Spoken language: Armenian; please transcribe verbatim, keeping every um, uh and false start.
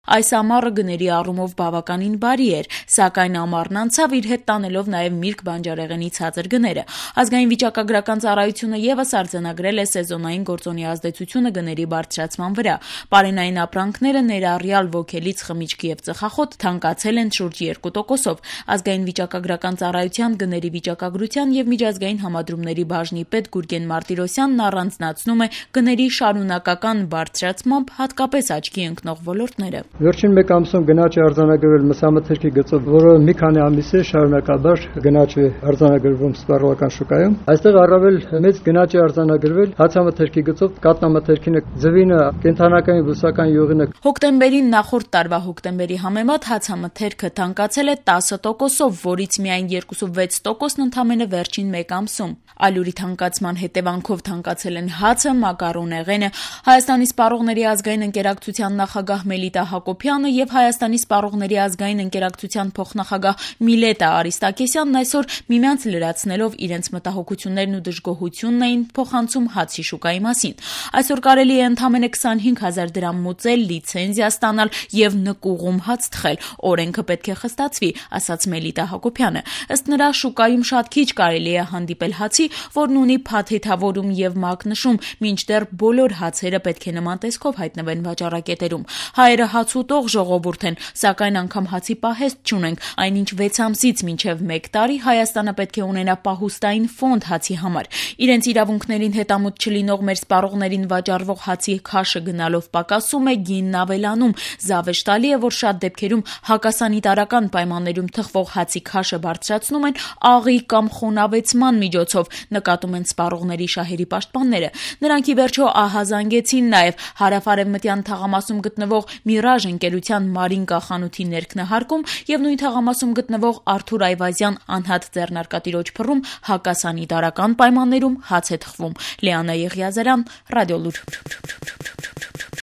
Այս ամառը գների առումով բավականին բարի էր, սակայն ամառն անցավ իր հետ տանելով նաև միրգ բանջարեղենի ցածր գները։ Ազգային վիճակագրական ծառայությունը ևս արձանագրել է սեզոնային գործոնի ազդեցությունը գների բարձրացման վրա։ Պարենային ապրանքները, ներառյալ ոգելից, խմիչք և ծխախոտ, թանկացել են շուրջ երկու տոկոսով։ Ազգային վիճակագրական ծառայության գների վիճակագրության և միջազգային համադրումների բաժնի պետ Գուրգեն Մարտիրոսյանն առանձնացնում է գների շարունակական բարձրացմամբ հատկապես աչքի ընկնող ոլորտները։ Վերջին մեկ ամսում գնաճ է արձանագրվել մսամթերքի գծով, որը մի քանի ամիս է շարունակաբար գնաճ է արձանագրվում սպառողական շուկայում։ Այստեղ առավել մեծ գնաճ է արձանագրվել հացամթերքի գծով, կատնամթերքինը, ձվինը, կենդանական բուսական յուղինը։ Հոկտեմբերին նախորդ տարվա հոկտեմբերի համեմատ հացամթերքը թանկացել է տասը տոկոսով, որից միայն երկուսուվեց տոկոսն ընդամենը վերջին մեկ ամսում։ Ալյուրի թանկացման հետևանքով թանկացել են հացը, մակարոնեղենը։ Հայաստանի սպառողների ազգային ընկերակցության նախագահ Մելիտա Հակոբյանը և Հայաստանի սպառողների ազգային ընկերակցության փոխնախագահ Միլետա Արիստակեսյանն այսօր միմյանց լրացնելով իրենց մտահոգություններն ու դժգոհությունն էին փոխանցում հացի շուկայի մասին։ Այսօր կարելի է ընդամենը քսանհինգ հազար դրամ մուծել, լիցենզիա ստանալ և նկուղում հաց թխել։ Օրենքը պետք է խստացվի, ասաց Մելիտա Հակոբյանը։ Ըստ նրա, շուկայում շատ քիչ կարելի է հանդիպել հացի, որն ունի փաթեթավորում և մակնշում, մինչդեռ բոլոր հացերը պետք է նման տեսքով հայտնվեն վաճառակետերում։ Հայերը հաց ուտող ժողովուրդ են, սակայն անգամ հացի պահեստ չունենք, այնինչ վեց ամսից մինչև մեկ տարի Հայաստանը պետք է ունենա պահուստային ֆոնդ հացի համար։ Իրենց իրավունքներին հետամուտ չլինող մեր սպառողներին վաճառվող հացի քաշը գնալով պակասում է, գինն ավելանում։ Զավեշտալի է, որ շատ դեպքերում հակասանիտարական պայմաններում թխվող հացի քաշը բարձրացնում են աղի կամ խոնավեցման միջոցով, նկատում են սպառողների շահերի պաշտպանները։ Նրանք ի վերջո ահազանգեցին նաև հարավ-արևմտյան թաղամասում գտնվող Միրաժ ընկերության Մարինկա խանութի ներքնահարկում և նույն թաղամասում գտնվող Արթուր Այվազյան անհատ ձեռնարկատիրոջ փռում հակասանիտարական պայմաններում հաց է թխվում։ Լիանա Եղիազարյան, Ռադիոլուր։